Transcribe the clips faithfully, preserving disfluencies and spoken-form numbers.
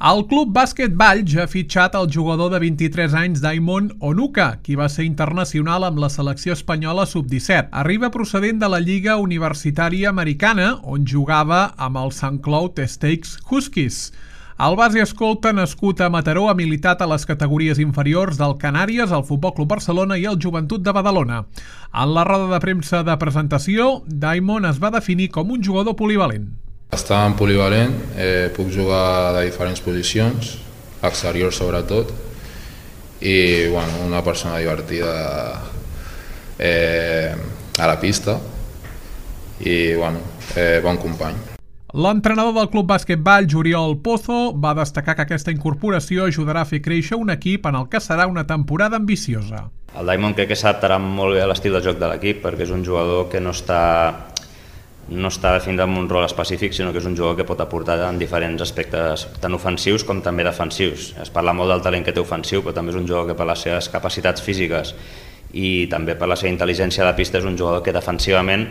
El Club Bàsquet Valls ha fitxat el jugador de vint-i-tres anys Daimon Onuka, qui va ser internacional amb la selecció espanyola sub disset. Arriba procedent de la Lliga Universitària Americana, on jugava amb el Saint Cloud Stakes Huskies. El base escolta, nascut a Mataró, ha militat a les categories inferiors del Canàries, el Futbol Club Barcelona i el Joventut de Badalona. En la roda de premsa de presentació, Daimon es va definir com un jugador polivalent. Bastant polivalent, eh, puc jugar de diferents posicions, exterior sobretot, i bueno, una persona divertida eh, a la pista i bueno, eh, bon company. L'entrenador del Club Bàsquet Valls, Oriol Pozo, va destacar que aquesta incorporació ajudarà a fer créixer un equip en el que serà una temporada ambiciosa. El Daimon crec que s'adaptarà molt bé a l'estil de joc de l'equip, perquè és un jugador que no està no està definit amb un rol específic, sinó que és un jugador que pot aportar en diferents aspectes, tant ofensius com també defensius. Es parla molt del talent que té ofensiu, però també és un jugador que per les seves capacitats físiques i també per la seva intel·ligència a la pista és un jugador que defensivament,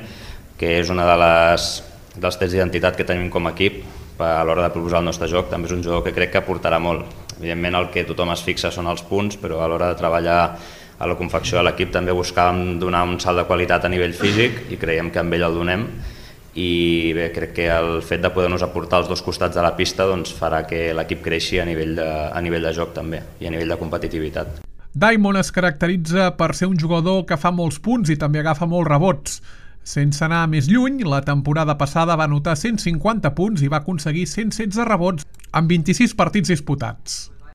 que és una de les dels trets d'identitat que tenim com a equip a l'hora de proposar el nostre joc, també és un jugador que crec que aportarà molt. Evidentment el que tothom es fixa són els punts, però a l'hora de treballar a la confecció de l'equip també buscàvem donar un salt de qualitat a nivell físic i creiem que amb ell el donem. I bé, crec que el fet de poder-nos aportar els dos costats de la pista doncs, farà que l'equip creixi a nivell, de, a nivell de joc també i a nivell de competitivitat. Daimon es caracteritza per ser un jugador que fa molts punts i també agafa molts rebots. Sense anar més lluny, la temporada passada va anotar cent cinquanta punts i va aconseguir cent setze rebots en vint-i-sis partits disputats.